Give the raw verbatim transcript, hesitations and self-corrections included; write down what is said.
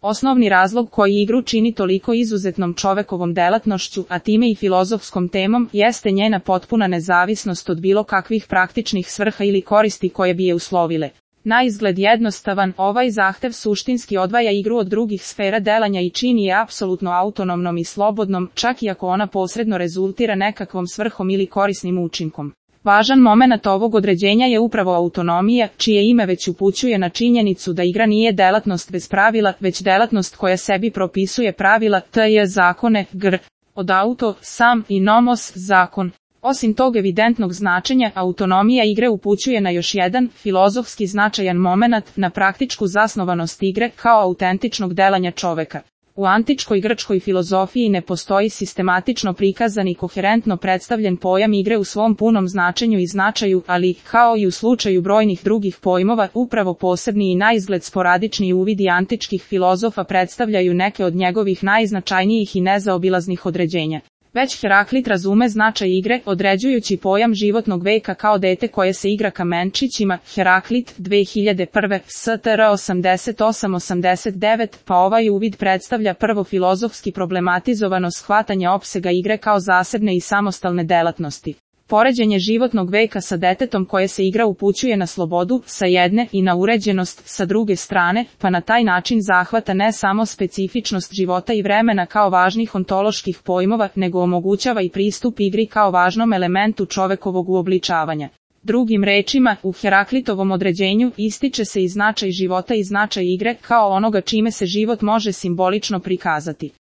Osnovni razlog koji igru čini toliko izuzetnom čovekovom delatnošću, a time i filozofskom temom, jeste njena potpuna nezavisnost od bilo kakvih praktičnih svrha ili koristi koje bi je uslovile. Na izgled jednostavan, ovaj zahtev suštinski odvaja igru od drugih sfera delanja i čini je apsolutno autonomnom i slobodnom, čak i ako ona posredno rezultira nekakvom svrhom ili korisnim učinkom. Važan momenat ovog određenja je upravo autonomija, čije ime već upućuje na činjenicu da igra nije delatnost bez pravila, već delatnost koja sebi propisuje pravila, tj. zakone, gr. Od auto, sam, i nomos, zakon. Osim tog evidentnog značenja, autonomija igre upućuje na još jedan, filozofski značajan momenat, na praktičku zasnovanost igre, kao autentičnog delanja čoveka. U antičkoj grčkoj filozofiji ne postoji sistematično prikazan i koherentno predstavljen pojam igre u svom punom značenju i značaju, ali, kao i u slučaju brojnih drugih pojmova, upravo posebni i naizgled sporadični uvidi antičkih filozofa predstavljaju neke od njegovih najznačajnijih i nezaobilaznih određenja. Već Heraklit razume značaj igre, određujući pojam životnog veka kao dete koje se igra kamenčićima, Heraklit, dve hiljade prve, S T R osamdeset osam osamdeset devet, pa ovaj uvid predstavlja prvo filozofski problematizovano shvatanje opsega igre kao zasebne i samostalne delatnosti. Poređenje životnog veka sa detetom koje se igra upućuje na slobodu, sa jedne, i na uređenost, sa druge strane, pa na taj način zahvata ne samo specifičnost života i vremena kao važnih ontoloških pojmova, nego omogućava i pristup igri kao važnom elementu čovekovog uobličavanja. Drugim rečima, u Heraklitovom određenju ističe se i značaj života i značaj igre kao onoga čime se život može simbolično prikazati.